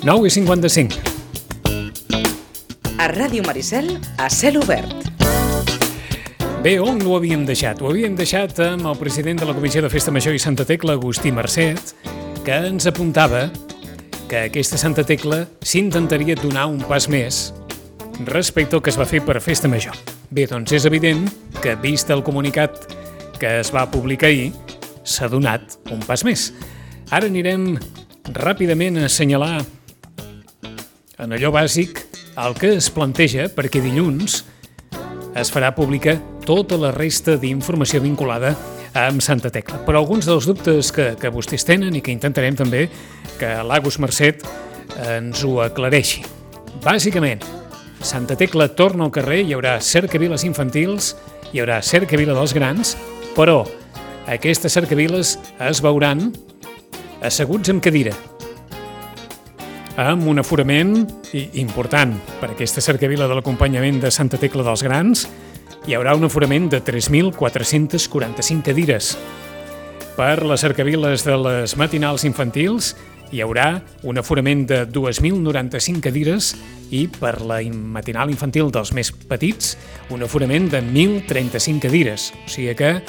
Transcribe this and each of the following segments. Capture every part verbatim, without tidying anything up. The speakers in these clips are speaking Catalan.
nou i cinquanta-cinc. A Ràdio Maricel, a cel obert. Bé, on ho havíem deixat? Ho havíem deixat amb el president de la Comissió de Festa Major i Santa Tecla, Agustí Marcet, que ens apuntava que aquesta Santa Tecla s'intentaria donar un pas més respecte al que es va fer per Festa Major. Bé, doncs és evident que, vist el comunicat que es va publicar ahir, s'ha donat un pas més. Ara anirem ràpidament a assenyalar en allò bàsic el que es planteja perquè dilluns es farà pública tota la resta d'informació vinculada amb Santa Tecla. Però alguns dels dubtes que, que vostès tenen i que intentarem també que l'Agus Marcet ens ho aclareixi. Bàsicament, Santa Tecla torna al carrer, hi haurà cercaviles infantils, hi haurà cercavila dels grans, però aquestes cercaviles es veuran asseguts amb cadira, amb un aforament important per aquesta cercavila de l'acompanyament de Santa Tecla dels Grans. Hi haurà un aforament de tres mil quatre-cents quaranta-cinc cadires. Per les cercaviles de les matinals infantils hi haurà un aforament de dos mil noranta-cinc cadires i per la matinal infantil dels més petits un aforament de mil trenta-cinc cadires. O sigui que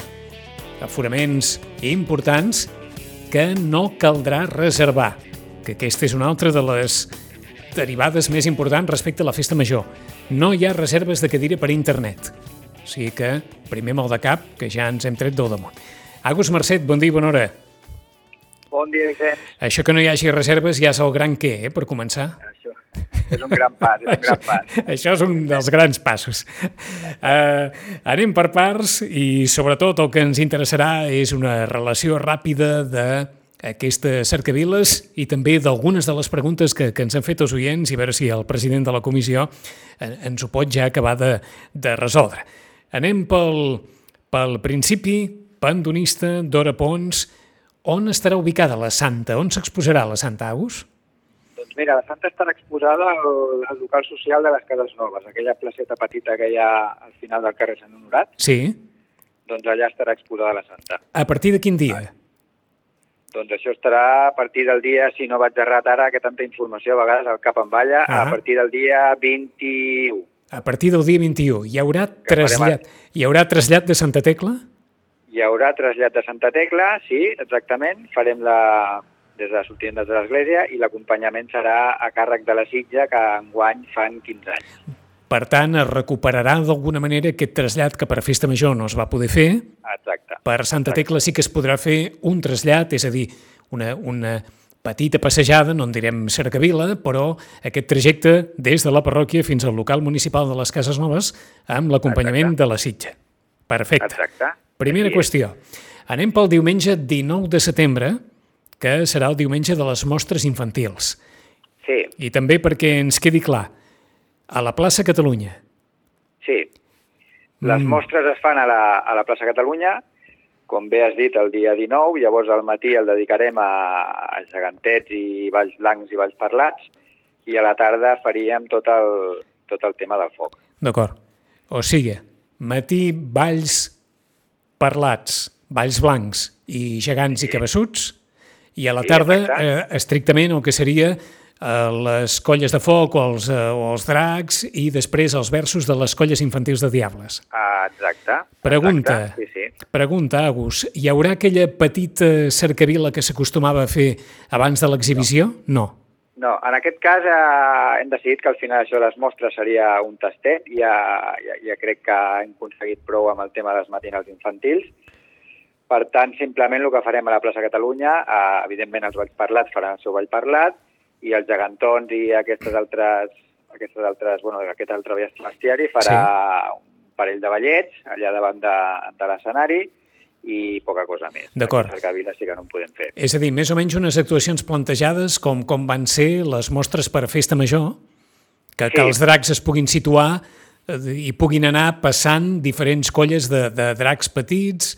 aforaments importants que no caldrà reservar, que aquesta és una altra de les derivades més importants respecte a la Festa Major. No hi ha reserves de cadira per internet. O sigui que, primer mal de cap, que ja ens hem tret del damunt. Agus Marcet, bon dia i bona hora. Bon dia, Vicenç. Això que no hi hagi reserves ja és el gran què, eh, per començar? Això és un gran pas, és un gran pas. Això és un dels grans passos. Uh, anem per parts i, sobretot, el que ens interessarà és una relació ràpida d'aquestes cercaviles i també d'algunes de les preguntes que, que ens han fet els oients i veure si el president de la comissió ens ho pot ja acabar de, de resoldre. Anem pel, pel principi, Pandonista, Dora Pons. On estarà ubicada la Santa? On s'exposarà la Santa, Agus? Doncs mira, la Santa estarà exposada al, al local social de les Cases Noves, aquella placeta petita que hi ha al final del carrer Sant Honorat. Sí. Doncs allà estarà exposada la Santa. A partir de quin dia? Ah. Doncs això estarà a partir del dia, si no vaig errat ara, que tanta informació a vegades al cap em balla, ah. a partir del dia vint-i-u. A partir del dia vint-i-u. Hi haurà trasllat, hi haurà trasllat de Santa Tecla? Hi haurà trasllat de Santa Tecla, sí, exactament. Farem la des de sortint des de l'església i l'acompanyament serà a càrrec de la Sitja, que enguany fan quinze anys. Per tant, es recuperarà d'alguna manera aquest trasllat que per Festa Major no es va poder fer. Exacte. Per Santa Tecla sí que es podrà fer un trasllat, és a dir, una, una petita passejada, no en direm cercavila, però aquest trajecte des de la parròquia fins al local municipal de les Cases Noves amb l'acompanyament de la Sitja. Perfecte. Exacte. Primera qüestió. Anem pel diumenge dinou de setembre, que serà el diumenge de les mostres infantils. Sí. I també perquè ens quedi clar, a la plaça Catalunya. Sí. Les mm. mostres es fan a la, a la plaça Catalunya, com bé has dit, el dia dinou, llavors al matí el dedicarem a, a gegantets i balls blancs i balls parlats, i a la tarda faríem tot el, tot el tema del foc. D'acord. O sigui, matí balls parlats, balls blancs i gegants i cabassuts, i a la tarda, eh, estrictament, el que seria eh, les colles de foc o els, eh, o els dracs i després els versos de les colles infantils de Diables. Ah, exacte. Pregunta, exacte, sí, sí. pregunta, Agus, hi haurà aquella petita cercavila que s'acostumava a fer abans de l'exhibició? No. No, en aquest cas eh, hem decidit que al final això de les mostres seria un tastet. Ja, ja, ja crec que hem aconseguit prou amb el tema dels matinals infantils. Per tant, simplement el que farem a la plaça Catalunya, eh, evidentment els balls parlats faran el seu ball parlat i els gegantons i aquestes altres, aquestes altres, bueno, aquest altre bestiari farà sí. un parell de ballets allà davant de, de l'escenari i poca cosa més. D'acord. A Cercavila sí que no en podem fer. És a dir, més o menys unes actuacions plantejades com, com van ser les mostres per a Festa Major, que, sí. que els dracs es puguin situar i puguin anar passant diferents colles de, de dracs petits.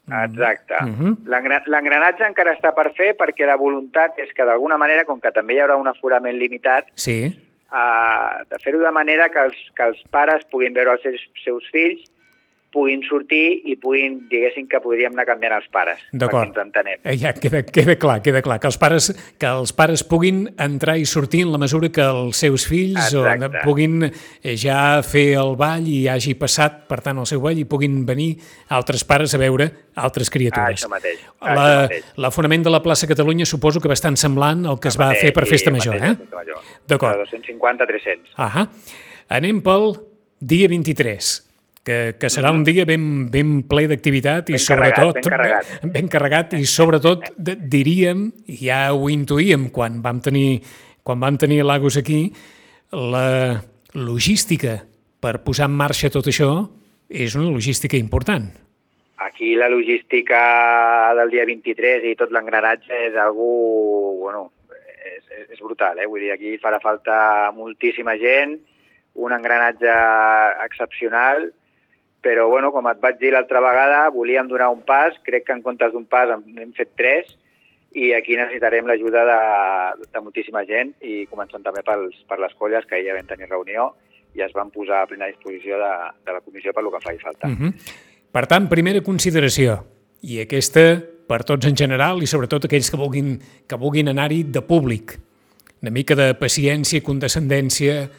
Exacte. Uh-huh. L'engranatge encara està per fer perquè la voluntat és que d'alguna manera, com que també hi haurà un aforament limitat, sí. uh, de fer-ho de manera que els, que els pares puguin veure els seus, seus fills puguin sortir i puguin, diguéssim, que podríem anar canviant els pares, perquè ens entenem. Eh, ja, queda, queda clar, queda clar, que els, pares, que els pares puguin entrar i sortir en la mesura que els seus fills o, puguin ja fer el ball i hagi passat, per tant, el seu ball i puguin venir altres pares a veure altres criatures. Ah, això mateix. Ah, la, això mateix. L'afonament de la plaça Catalunya suposo que bastant semblant al que es va mateix, fer per Festa Major, eh? D'acord. De dos-cents cinquanta a tres-cents. Ahà. Anem pel dia vint-i-tres. Que, que serà un dia ben, ben ple d'activitat i ben sobretot... Carregat, ben carregat. Ben, ben carregat i sobretot diríem, ja ho intuïem quan vam tenir, quan vam tenir l'Agus aquí, la logística per posar en marxa tot això és una logística important. Aquí la logística del dia vint-i-tres i tot l'engranatge és algú, bueno, és, és brutal, eh? Vull dir, aquí farà falta moltíssima gent, un engranatge excepcional, però, bueno, com et vaig dir l'altra vegada, volíem donar un pas, crec que en comptes d'un pas hem fet tres, i aquí necessitarem l'ajuda de, de moltíssima gent, i començant també pels, per les colles, que ahir ja vam tenir reunió, i es van posar a plena disposició de, de la comissió per lo que faci falta. Uh-huh. Per tant, primera consideració, i aquesta per tots en general, i sobretot aquells que vulguin, que vulguin anar-hi de públic, una mica de paciència, condescendència,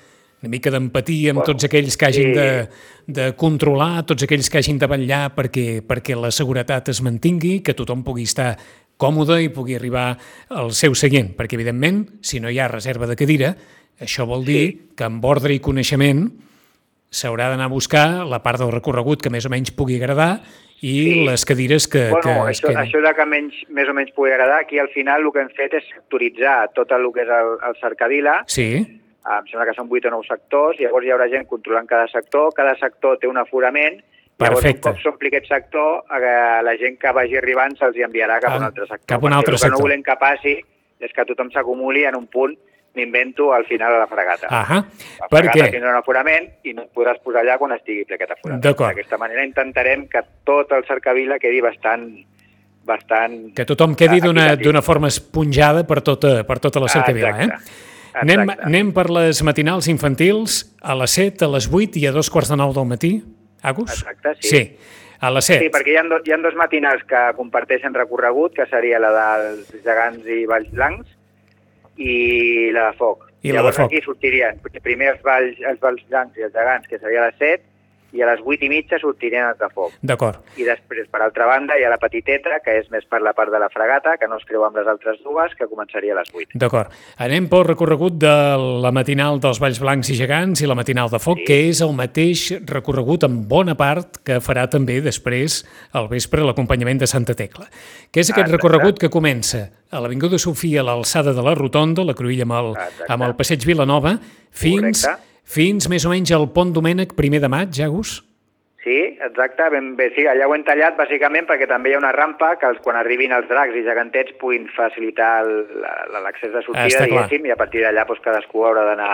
una mica d'empatia amb bueno, tots aquells que hagin sí. de, de controlar, tots aquells que hagin de vetllar perquè, perquè la seguretat es mantingui, que tothom pugui estar còmode i pugui arribar al seu seient, perquè, evidentment, si no hi ha reserva de cadira, això vol dir sí. que amb ordre i coneixement s'haurà d'anar a buscar la part del recorregut que més o menys pugui agradar i sí. les cadires que, bueno, que es això, queden. Això de que menys, més o menys pugui agradar, aquí al final el que hem fet és sectoritzar tot el que és el, el cercavila. Sí. Em sembla que són vuit o nou sectors, i llavors hi haurà gent controlant cada sector, cada sector té un aforament, llavors Perfecte. un cop s'ompli aquest sector, la gent que vagi arribant se'ls enviarà cap a un altre sector. Cap a un altre sector. El que no volem que passi és que tothom s'acumuli en un punt, m'invento, al final de la fregata. Ahà. La Per fregata què? tindrà un aforament i no et podràs posar allà quan estigui ple aquest aforament. D'acord. D'aquesta manera intentarem que tot el cercavila quedi bastant... bastant que tothom quedi d'una forma esponjada per tota, per tota la cercavila, ah, eh? Anem, anem per les matinals infantils a les set, a les vuit i a dos quarts de nou del matí, Agus? Exacte, sí. Sí, a les set. Sí, perquè hi ha, do, hi ha dos matinals que comparteixen recorregut, que seria la dels gegants i valls blancs i la de foc. I la Llavors de foc. Aquí sortirien primer els valls, els valls blancs i els gegants, que seria a les set, i a les vuit i mitja sortirien els de foc. D'acord. I després, per altra banda, hi ha la petiteta, que és més per la part de la fregata, que no es creu amb les altres dues, que començaria a les vuit. D'acord. Anem pel recorregut de la matinal dels Valls Blancs i Gegants i la matinal de foc, sí. que és el mateix recorregut en bona part que farà també després al vespre l'acompanyament de Santa Tecla. Que és aquest Exacte. recorregut que comença a l'Avinguda Sofia, a l'alçada de la Rotonda, la cruïlla amb el, amb el passeig Vilanova, fins... Correcte. Fins més o menys al Pont Domènec, primer de maig, Agus? Sí, exacte. Ben bé, sí, allà ho hem tallat bàsicament perquè també hi ha una rampa que els, quan arribin els dracs i gegantets puguin facilitar l'accés de sortida, diguéssim, i a partir d'allà doncs, cadascú haurà d'anar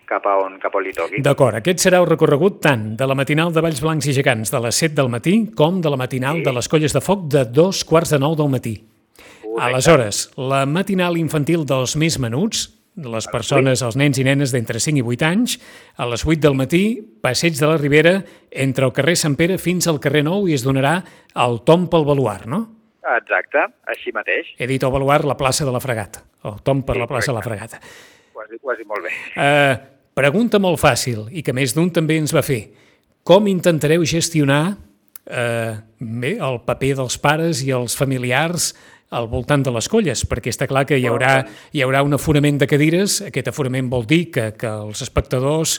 cap a on, cap on li toqui. D'acord, aquest serà el recorregut tant de la matinal de Valls Blancs i Gegants de les set del matí com de la matinal sí. de les Colles de Foc de dos quarts de nou del matí. Correcte. Aleshores, la matinal infantil dels més menuts, les persones, els nens i nenes d'entre cinc i vuit anys, a les vuit del matí, passeig de la Ribera, entre el carrer Sant Pere fins al carrer Nou, i es donarà el tomb pel baluard, no? Exacte, així mateix. He dit el baluard, la plaça de la Fregata, el tomb per sí, la plaça correcte. de la Fregata. Ho has dit, ho has dit molt bé. Uh, pregunta molt fàcil, i que més d'un també ens va fer. Com intentareu gestionar uh, bé, el paper dels pares i els familiars al voltant de les colles, perquè està clar que hi haurà, hi haurà un aforament de cadires. Aquest aforament vol dir que, que els espectadors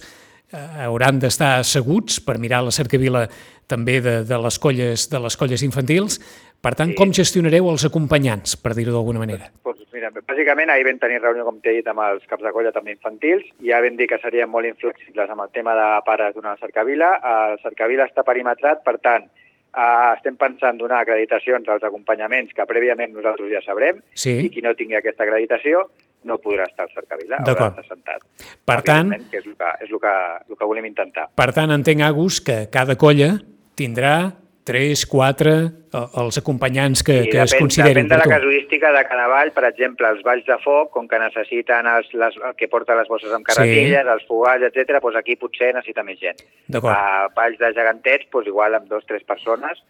eh, hauran d'estar asseguts per mirar la cercavila també de, de, les colles, de les colles infantils. Per tant, sí. com gestionareu els acompanyants, per dir-ho d'alguna manera? Pues, mira, bàsicament ahir vam tenir reunió, com t'he dit, amb els caps de colla també infantils, i ja vam dir que serien molt inflexibles amb el tema de pares d'una cercavila. El cercavila està perimetrat, per tant, Uh, estem pensant donar acreditacions als acompanyaments que prèviament nosaltres ja sabrem, sí. i qui no tingui aquesta acreditació no podrà estar al cercavila, haurà d'estar sentat. Per tant, que és el que, és el que, el que volem intentar. Per tant, entenc, Agus, que cada colla tindrà tres, quatre, els acompanyants que, sí, que depèn, es considerin depèn de la per tu. casuística de cada ball. Per exemple, els balls de foc, com que necessiten els, les, el que porta les bosses amb carretilles, sí. els fogals, etcètera, doncs aquí potser necessita més gent. A balls de gegantets, doncs igual amb dos o tres persones,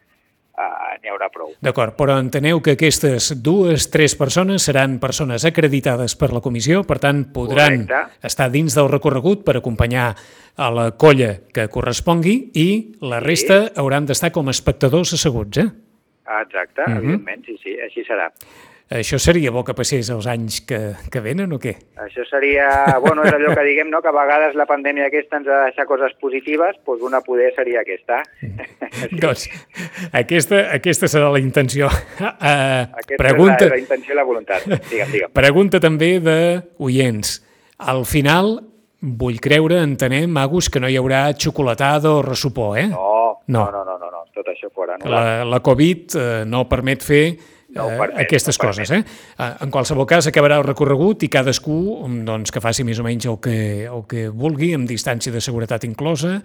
Uh, n'hi haurà prou. D'acord, però enteneu que aquestes dues, tres persones seran persones acreditades per la comissió, per tant podran Correcte. estar dins del recorregut per acompanyar a la colla que correspongui i la sí. resta hauran d'estar com a espectadors asseguts, eh? Exacte, uh-huh. evidentment, sí, sí, així serà. Això seria bo que passés els anys que, que venen o què? Això seria, bueno, és allò que diguem, no?, que a vegades la pandèmia aquesta ens ha de deixar coses positives, doncs una poder seria aquesta. Sí. Doncs aquesta, aquesta serà la intenció. Uh, aquesta pregunta... és la, la intenció i la voluntat. Digue'm, digue'm. Pregunta també d'oients. Al final, vull creure, entenem, Agus, que no hi haurà xocolatada o ressupó, eh? No, no, no, no, no, no. Tot això fora. No? La, la Covid eh, no permet fer No permet, aquestes no coses. Eh? En qualsevol cas, acabarà el recorregut i cadascú doncs, que faci més o menys el que, el que vulgui, amb distància de seguretat inclosa,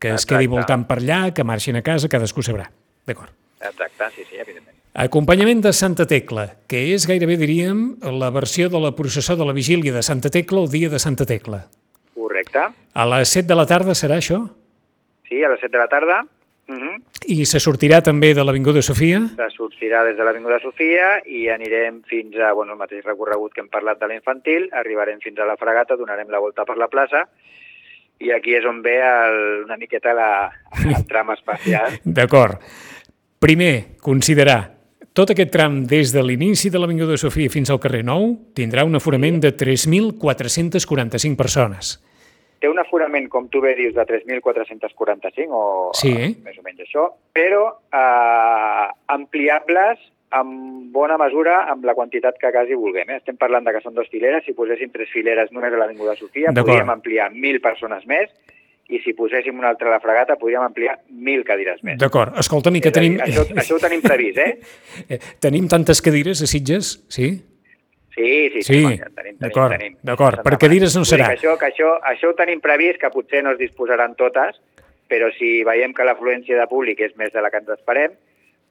que es Exacte. quedi voltant per allà, que marxin a casa, cadascú sabrà. D'acord. Exacte, sí, sí, evidentment. Acompanyament de Santa Tecla, que és gairebé, diríem, la versió de la processó de la vigília de Santa Tecla el dia de Santa Tecla. Correcte. A les set de la tarda serà això? Sí, a les set de la tarda. Uh-huh. I se sortirà també de l'Avinguda Sofia? Se sortirà des de l'Avinguda Sofia i anirem fins a, bueno, el mateix recorregut que hem parlat de l'infantil, arribarem fins a la Fragata, donarem la volta per la plaça i aquí és on ve el, una miqueta la, el tram espacial. D'acord. Primer, considerar tot aquest tram des de l'inici de l'Avinguda Sofia fins al carrer Nou tindrà un aforament de tres mil quatre-cents quaranta-cinc persones. Té un aforament, com tu bé dius, de tres mil quatre-cents quaranta-cinc, o sí, eh? més o menys això, però eh, ampliables en bona mesura amb la quantitat que quasi vulguem. Eh? Estem parlant de que són dues fileres, si poséssim tres fileres només a l'Avinguda Sofia, podríem ampliar mil persones més, i si poséssim una altra a la Fragata, podríem ampliar mil cadires més. D'acord, escolta'm, i que tenim... Dir, això, això ho tenim previst, eh? Tenim tantes cadires a Sitges, sí? Sí, sí, sí, sí. tenim, tenim, d'acord, tenim. D'acord, per cadires no serà. Que això, que això, això ho tenim previst, que potser no es disposaran totes, però si veiem que l'afluència de públic és més de la que ens esperem,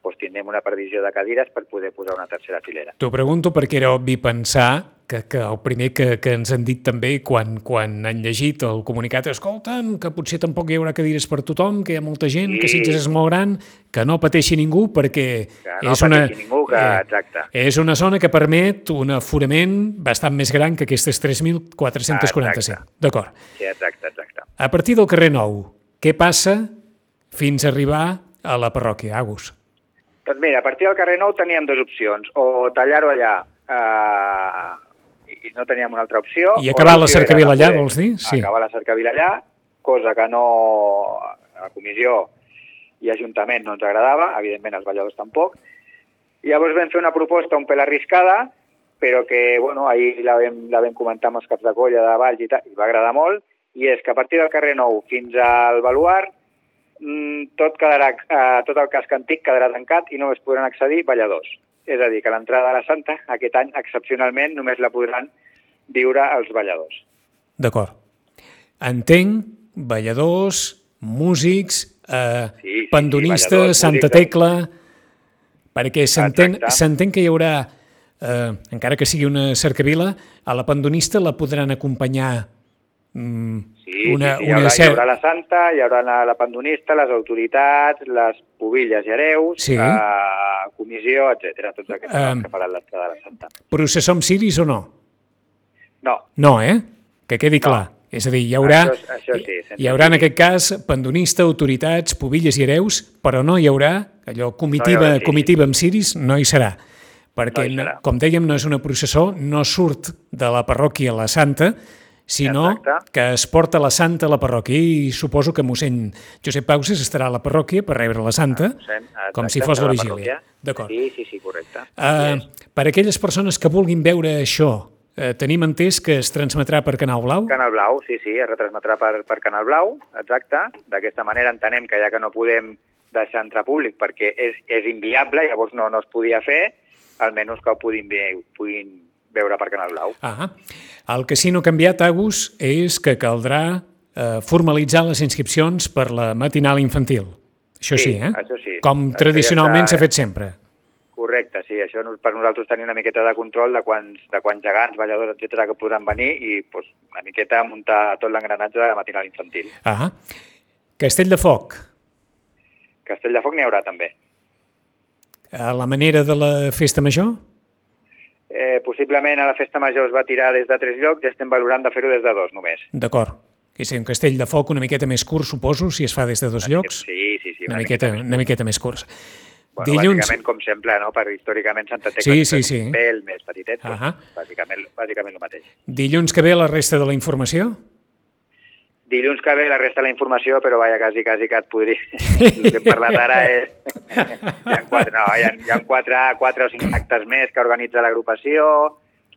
doncs tindrem una previsió de cadires per poder posar una tercera filera. T'ho pregunto perquè era obvi pensar que, que el primer que, que ens han dit també quan, quan han llegit el comunicat, escolta'm, que potser tampoc hi haurà cadires per tothom, que hi ha molta gent, sí. que Sitges és molt gran, que no pateixi ningú perquè que no és, una, ningú, que, exacte. eh, és una zona que permet un aforament bastant més gran que aquestes tres mil quatre-cents quaranta-cinc. D'acord. Sí, exacte, exacte. A partir del carrer Nou, què passa fins a arribar a la parròquia, Agus? Doncs mira, a partir del carrer Nou teníem dues opcions, o tallar-ho allà eh, i no teníem una altra opció. I acabar la cercavila allà, vols dir? Sí. Acabar la cercavila allà, cosa que no a la comissió i Ajuntament no ens agradava, evidentment els balladors tampoc. I llavors vam fer una proposta un pèl arriscada, però que, bueno, ahir la vam, la vam comentar amb els caps de colla de Valls i tal, i va agradar molt, i és que a partir del carrer Nou fins al Baluard tot, quedarà, eh, tot el casc antic quedarà tancat i només podran accedir balladors. És a dir, que l'entrada de la Santa aquest any, excepcionalment, només la podran viure els balladors. D'acord. Entenc, balladors, músics, eh, sí, sí, pandonistes, sí, Santa Tecla, perquè s'entén que hi haurà, eh, encara que sigui una cercavila, a la pandonista la podran acompanyar Sí, una, sí, sí, hi, haurà, hi haurà la Santa, hi haurà la, la pandonista, les autoritats, les pubilles i hereus, sí. la comissió, etcètera, tots aquests um, que faran l'entrada de la Santa. Processó amb ciris o no? No. No, eh? Que quedi clar. No. És a dir, hi haurà, això, això sí, hi haurà en aquest cas pandonista, autoritats, pubilles i hereus, però no hi haurà allò comitiva, no hi haurà, sí, comitiva amb ciris, no hi serà. Perquè, no hi serà. Com dèiem, no és una processó, no surt de la parròquia la Santa, sinó Exacte. Que es porta la Santa a la parròquia i suposo que mossèn Josep Pauses estarà a la parròquia per rebre la Santa, Exacte, com si fos la vigília. D'acord. Sí, sí, sí, correcte. Uh, per a aquelles persones que vulguin veure això, uh, tenim entès que es transmetrà per Canal Blau? Canal Blau, sí, sí, es retransmetrà per, per Canal Blau, exacte. D'aquesta manera entenem que ja que no podem deixar entrar públic perquè és, és inviable, llavors no, no es podia fer, almenys que ho puguin, puguin veure per Canal Blau. Ah, el que sí no ha canviat, Agus, és que caldrà eh, formalitzar les inscripcions per la matinal infantil. Això sí, Sí, eh? això sí. Com Això tradicionalment ja està- s'ha fet sempre. Correcte, sí, això no- per nosaltres tenir una miqueta de control de quants, de quants gegants, balladors, etcètera que podran venir i pues, una miqueta muntar tot l'engranatge de la matinal infantil. Ah, Castell de Foc, Castell de Foc n'hi haurà també. a la manera de la festa major? Eh, possiblement a la festa major es va tirar des de tres llocs i estem valorant de fer-ho des de dos només. D'acord. Que és un castell de foc una miqueta més curt, suposo, si es fa des de dos llocs. Sí, sí, sí. Una miqueta, una miqueta més curts. Bueno, Dilluns... bàsicament, com sempre, no? Per històricament Santa Tecla Sí, és sí, sí. un pèl més petitet, doncs, Ahà. bàsicament, bàsicament el mateix. Dilluns que ve la resta de la informació? Dilluns que ve la resta de la informació, però vaja, quasi, quasi que et podria... El que hem parlat ara és... Hi ha quatre, no, hi ha, hi ha quatre, quatre o cinc actes més que organitza l'agrupació,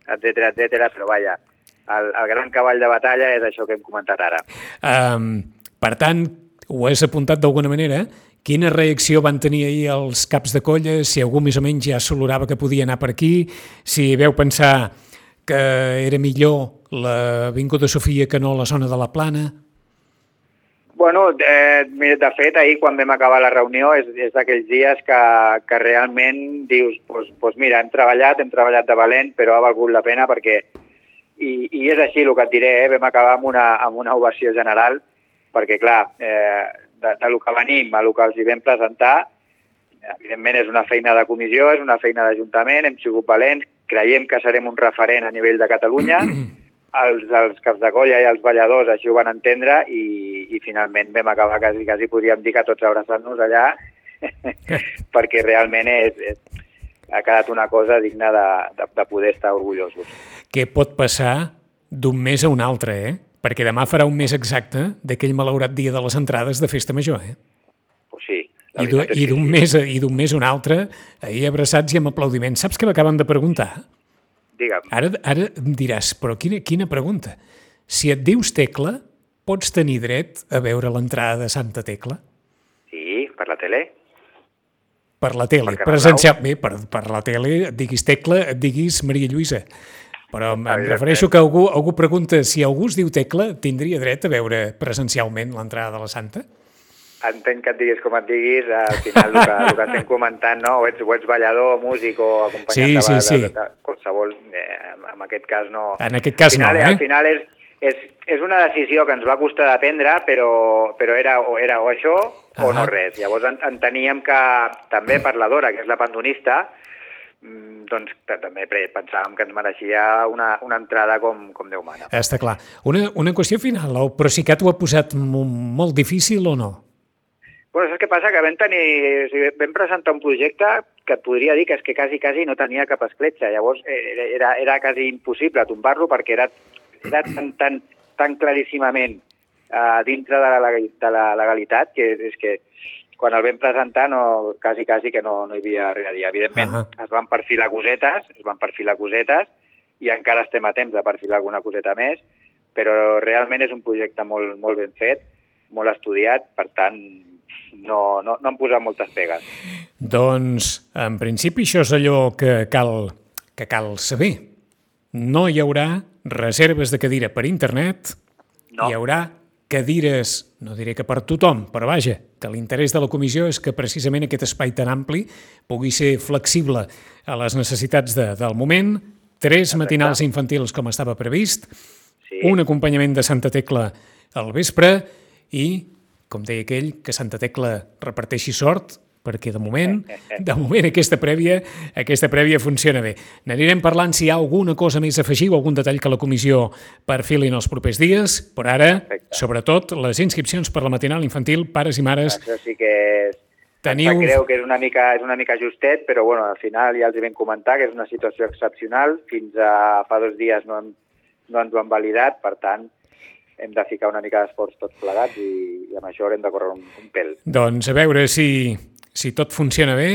etcètera, etcètera, però vaja, el, el gran cavall de batalla és això que hem comentat ara. Um, per tant, ho has apuntat d'alguna manera, quina reacció van tenir ahir els caps de colla, si algú més o menys ja s'olorava que podia anar per aquí, si veu pensar que era millor l'Avinguda Sofia que no la zona de la Plana? Bueno, eh, mira, de fet, ahir quan vam acabar la reunió és, és d'aquells dies que, que realment dius, pues, pues mira, hem treballat, hem treballat de valent, però ha valgut la pena perquè, i, i és així el que et diré, eh, vam acabar amb una, amb una ovació general, perquè clar, eh, de, de lo que venim a lo que els hi vam presentar, evidentment és una feina de comissió, és una feina d'Ajuntament, hem sigut valents, creiem que serem un referent a nivell de Catalunya, els, els caps de colla i els balladors així ho van entendre i, i finalment vam acabar quasi, quasi podríem dir que tots abraçant-nos allà perquè realment és, és, ha quedat una cosa digna de, de, de poder estar orgullosos. Què pot passar d'un mes a un altre, eh? Perquè demà farà un mes exacte d'aquell malaurat dia de les entrades de Festa Major, eh? Pues sí. I d'un sí, mes, i d'un mes a un altre, ahir abraçats i amb aplaudiments. Saps què m'acaben de preguntar? Digue'm. Ara, ara em diràs, però quina, quina pregunta. Si et dius Tecla, pots tenir dret a veure l'entrada de Santa Tecla? Sí, per la tele. Per la tele, presencial. Bé, per, per la tele et diguis Tecla, et diguis Maria Lluïsa. Però em, em refereixo que algú, algú pregunta si algú es diu Tecla, tindria dret a veure presencialment l'entrada de la Santa? Entenc que et diguis com et diguis, al final el que, el que estem comentant, no? o, ets, o ets ballador, músic o acompanyant sí, de, sí, de, sí. de, de qualsevol, eh, en aquest cas no. En aquest cas al final, no, eh? Al final és, és, és una decisió que ens va costar de prendre, però, però era, o era o això o ah. no res. Llavors en, enteníem que també per la Dora, que és la pandonista, doncs també pensàvem que ens mereixia una, una entrada com, com Déu mana. Està clar. Una, una qüestió final, el Procicat ho ha posat molt difícil o no? Bueno, saps què passa? Que vam tenir... O sigui, vam presentar un projecte que et podria dir que és que quasi, quasi no tenia cap escletxa. Llavors era, era, era quasi impossible tombar-lo perquè era, era tan, tan, tan claríssimament uh, dintre de la, de la legalitat que és que quan el vam presentar no, quasi, quasi que no, no hi havia res a dir. Evidentment, uh -huh. es van perfilar cosetes, es van perfilar cosetes i encara estem a temps de perfilar alguna coseta més, però realment és un projecte molt, molt ben fet, molt estudiat, per tant, no, no, no han posat moltes pegues. Doncs, en principi, això és allò que cal, que cal saber. No hi haurà reserves de cadira per internet, no. Hi haurà cadires, no diré que per tothom, però vaja, que l'interès de la comissió és que precisament aquest espai tan ampli pugui ser flexible a les necessitats de, del moment, tres matinals infantils com estava previst, sí. Un acompanyament de Santa Tecla al vespre i, com deia aquell, que Santa Tecla reparteixi sort, perquè de moment, de moment aquesta prèvia, aquesta prèvia funciona bé. N'anirem parlant si hi ha alguna cosa més a afegir o algun detall que la comissió perfili en els propers dies, però ara, Perfecte. Sobretot, les inscripcions per la matinal infantil, pares i mares... Això sí que és... Teniu... Em creu que és una, mica, és una mica justet, però bueno, al final ja els hi vam comentar que és una situació excepcional. Fins a fa dos dies no, hem, no ens ho han validat, per tant, hem de ficar una mica d'esforç tots plegats i, i amb això haurem de córrer un, un pèl. Doncs a veure si... si tot funciona bé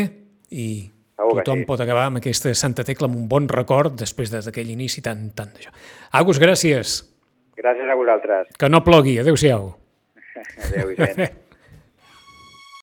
i Segur tothom sí. pot acabar amb aquesta Santa Tecla amb un bon record després d'aquell inici tan, tan d'això. Agus, gràcies. Gràcies a vosaltres. Que no plogui. Adéu-siau. Adéu, gent.